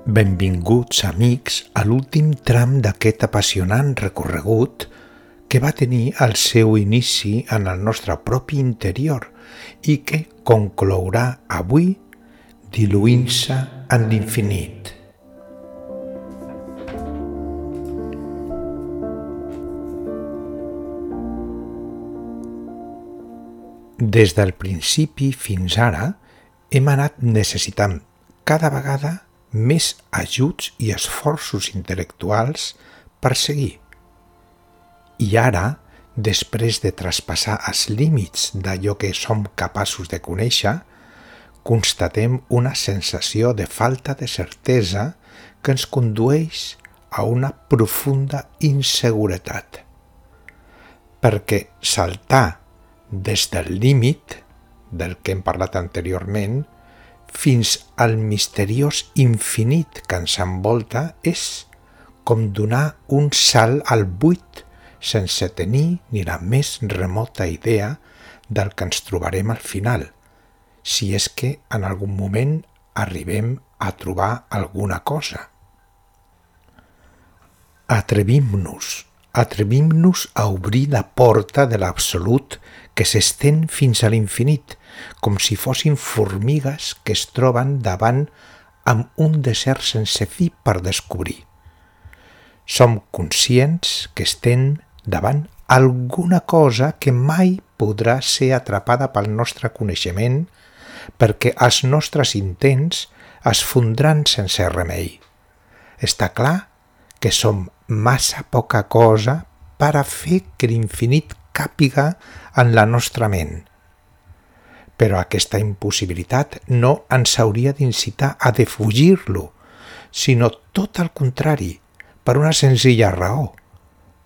Benvinguts, amics, a l'últim tram d'aquest apassionant recorregut que va tenir el seu inici en el nostre propi interior i que conclourà avui diluint-se en l'infinit. Des del principi fins ara hem anat necessitant cada vegada més ajuts i esforços intel·lectuals per seguir. I ara, després de traspassar els límits d'allò que som capaços de conèixer, constatem una sensació de falta de certesa que ens condueix a una profunda inseguretat. Perquè saltar des del límit, del que hem parlat anteriorment, fins al misteriós infinit que ens envolta és com donar un salt al buit sense tenir ni la més remota idea del que ens trobarem al final, si és que en algun moment arribem a trobar alguna cosa. Atrevim-nos a obrir la porta de l'absolut que s'estén fins a l'infinit, com si fossin formigues que es troben davant amb un desert sense fi per descobrir. Som conscients que estem davant alguna cosa que mai podrà ser atrapada pel nostre coneixement perquè els nostres intents es fondran sense remei. Està clar que som massa poca cosa per a fer que l'infinit càpiga en la nostra ment. Però aquesta impossibilitat no ens hauria d'incitar a defugir-lo, sinó tot el contrari, per una senzilla raó,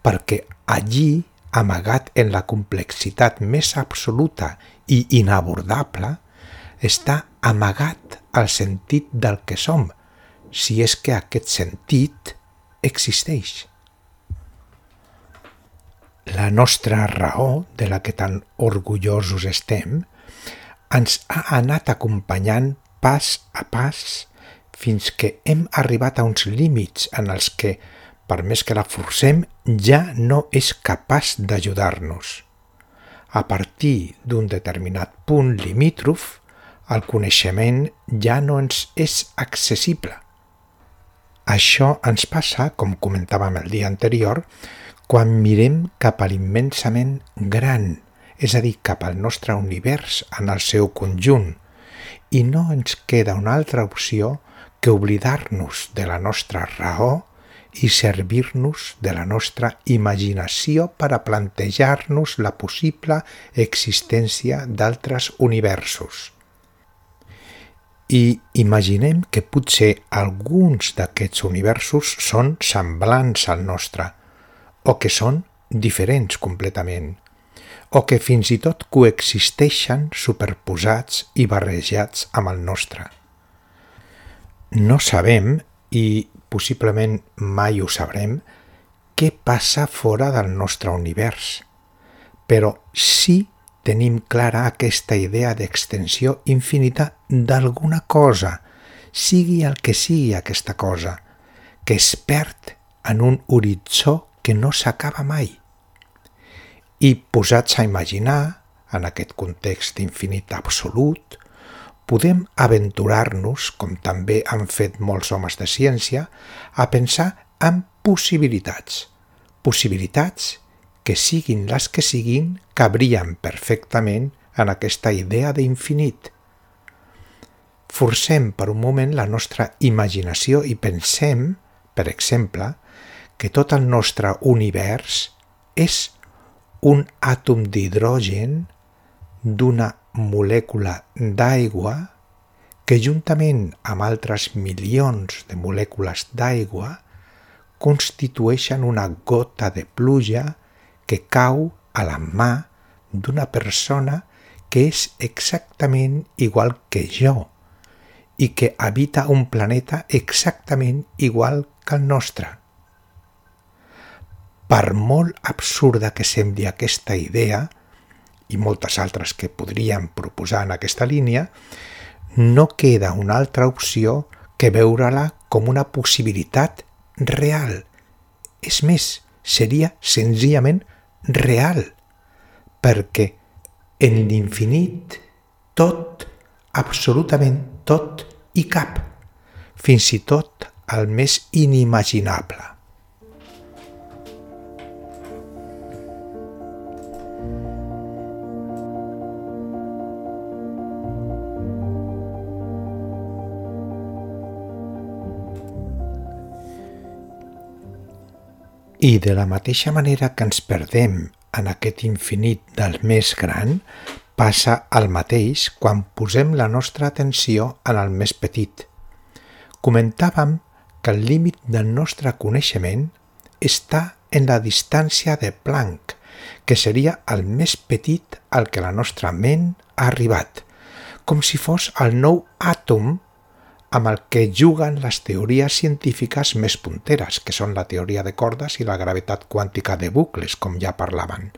perquè allí, amagat en la complexitat més absoluta i inabordable, està amagat el sentit del que som, si és que aquest sentit existeix. La nostra raó, de la que tan orgullosos estem, ens ha anat acompanyant pas a pas fins que hem arribat a uns límits en els que, per més que la forcem, ja no és capaç d'ajudar-nos. A partir d'un determinat punt limítrof, el coneixement ja no ens és accessible. Això ens passa, com comentàvem el dia anterior, quan mirem cap a l'immensament gran, és a dir, cap al nostre univers en el seu conjunt, i no ens queda una altra opció que oblidar-nos de la nostra raó i servir-nos de la nostra imaginació per a plantejar-nos la possible existència d'altres universos. I imaginem que potser alguns d'aquests universos són semblants al nostre, o que són diferents completament, o que fins i tot coexisteixen superposats i barrejats amb el nostre. No sabem, i possiblement mai ho sabrem, què passa fora del nostre univers, però sí tenim clara aquesta idea d'extensió infinita d'alguna cosa, sigui el que sigui aquesta cosa, que es perd en un horitzó que no s'acaba mai. I posats a imaginar, en aquest context d'infinit absolut, podem aventurar-nos, com també han fet molts homes de ciència, a pensar en possibilitats. Possibilitats que siguin les que siguin, cabrien perfectament en aquesta idea d'infinit. Forcem per un moment la nostra imaginació i pensem, per exemple, que tot el nostre univers és un àtom d'hidrogen d'una molècula d'aigua que juntament amb altres milions de molècules d'aigua constitueixen una gota de pluja que cau a la mà d'una persona que és exactament igual que jo i que habita un planeta exactament igual que el nostre. Per molt absurda que sembli aquesta idea, i moltes altres que podríem proposar en aquesta línia, no queda una altra opció que veure-la com una possibilitat real. És més, seria senzillament real, perquè en l'infinit tot, absolutament tot hi cap, fins i tot el més inimaginable. I de la mateixa manera que ens perdem en aquest infinit del més gran, passa el mateix quan posem la nostra atenció en el més petit. Comentàvem que el límit del nostre coneixement està en la distància de Planck, que seria el més petit al que la nostra ment ha arribat, com si fos el nou àtom amb el que juguen les teories científiques més punteres, que són la teoria de cordes i la gravetat quàntica de bucles, com ja parlaven.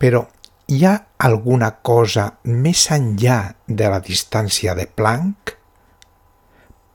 Però hi ha alguna cosa més enllà de la distància de Planck?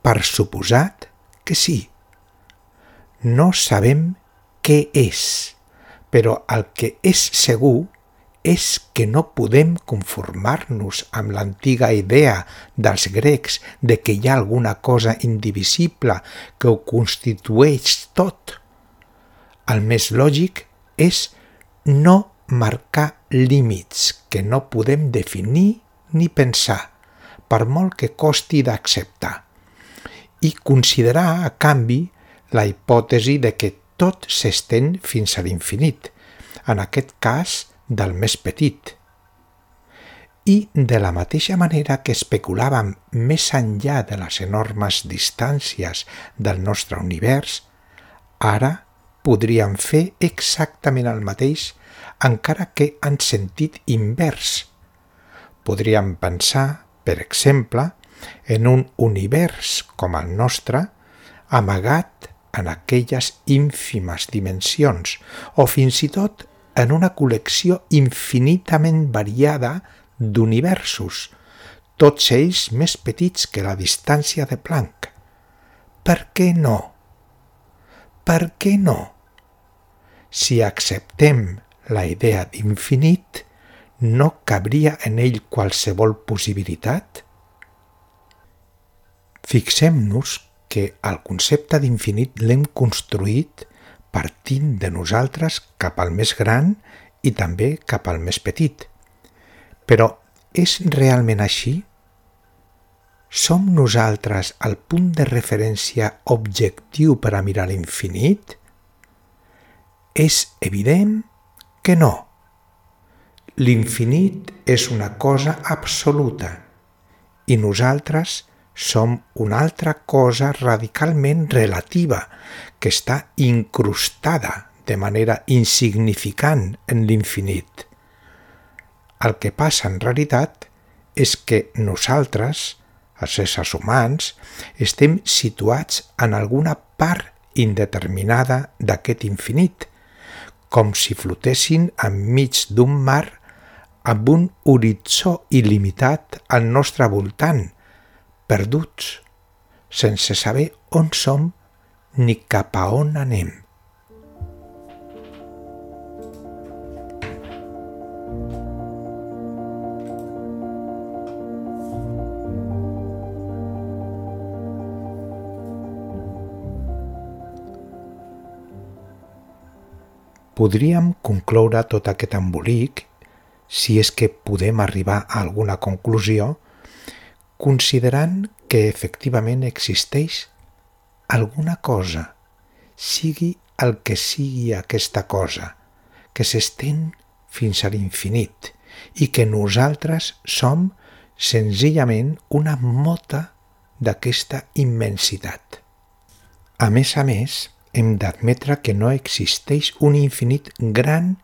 Per suposat que sí. No sabem què és, però el que és segur és que no podem conformar-nos amb l'antiga idea dels grecs de que hi ha alguna cosa indivisible que ho constitueix tot. El més lògic és no marcar límits que no podem definir ni pensar, per molt que costi d'acceptar, i considerar, a canvi, la hipòtesi de que tot s'estén fins a l'infinit, en aquest cas del més petit. I de la mateixa manera que especulàvem més enllà de les enormes distàncies del nostre univers, ara podríem fer exactament el mateix, encara que en sentit invers. Podríem pensar, per exemple, en un univers com el nostre, amagat en aquelles ínfimes dimensions, o fins i tot en una col·lecció infinitament variada d'universos, tots ells més petits que la distància de Planck. Per què no? Per què no? Si acceptem la idea d'infinit, no cabria en ell qualsevol possibilitat? Fixem-nos que el concepte d'infinit l'hem construït partint de nosaltres cap al més gran i també cap al més petit. Però és realment així? Som nosaltres el punt de referència objectiu per a mirar l'infinit? És evident que no. L'infinit és una cosa absoluta i nosaltres som una altra cosa radicalment relativa que està incrustada de manera insignificant en l'infinit. El que passa en realitat és que nosaltres, els éssers humans, estem situats en alguna part indeterminada d'aquest infinit, com si flotessin enmig d'un mar amb un horitzó il·limitat al nostre voltant, perduts, sense saber on som ni cap a on anem. Podríem concloure tot aquest embolic, si és que podem arribar a alguna conclusió, considerant que efectivament existeix alguna cosa, sigui el que sigui aquesta cosa, que s'estén fins a l'infinit i que nosaltres som senzillament una mota d'aquesta immensitat. A més, hem d'admetre que no existeix un infinit gran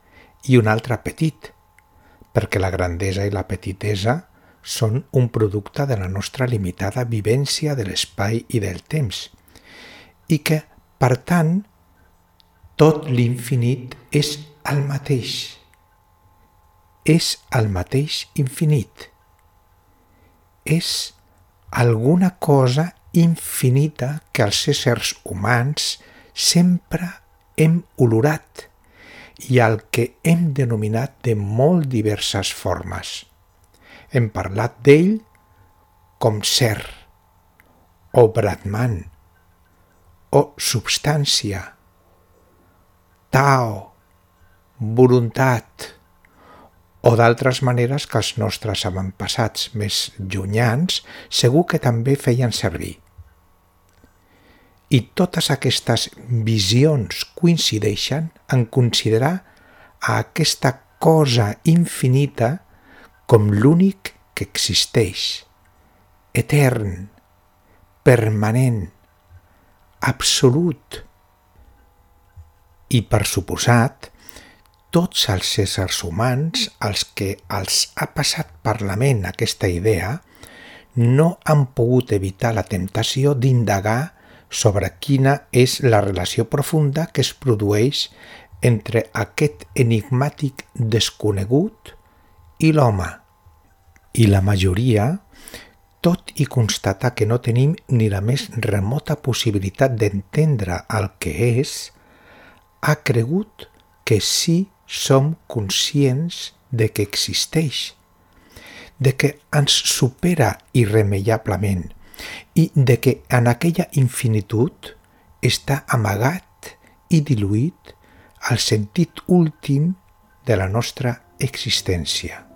i un altre petit, perquè la grandesa i la petitesa són un producte de la nostra limitada vivència de l'espai i del temps, i que, per tant, tot l'infinit és el mateix. És el mateix infinit. És alguna cosa infinita que els éssers humans sempre hem olorat i al que hem denominat de molt diverses formes. Hem parlat d'ell com ser, o Brahman, o substància, Tao, voluntat, o d'altres maneres que els nostres avantpassats més llunyans segur que també feien servir. I totes aquestes visions coincideixen en considerar a aquesta cosa infinita com l'únic que existeix, etern, permanent, absolut. I per suposat, tots els éssers humans als que els ha passat per la ment aquesta idea no han pogut evitar la temptació d'indagar sobre quina és la relació profunda que es produeix entre aquest enigmàtic desconegut i l'home. I la majoria, tot i constatar que no tenim ni la més remota possibilitat d'entendre el que és, ha cregut que sí som conscients de que existeix, de que ens supera irremeiablement i de que en aquella infinitud està amagat i diluït el sentit últim de la nostra existència.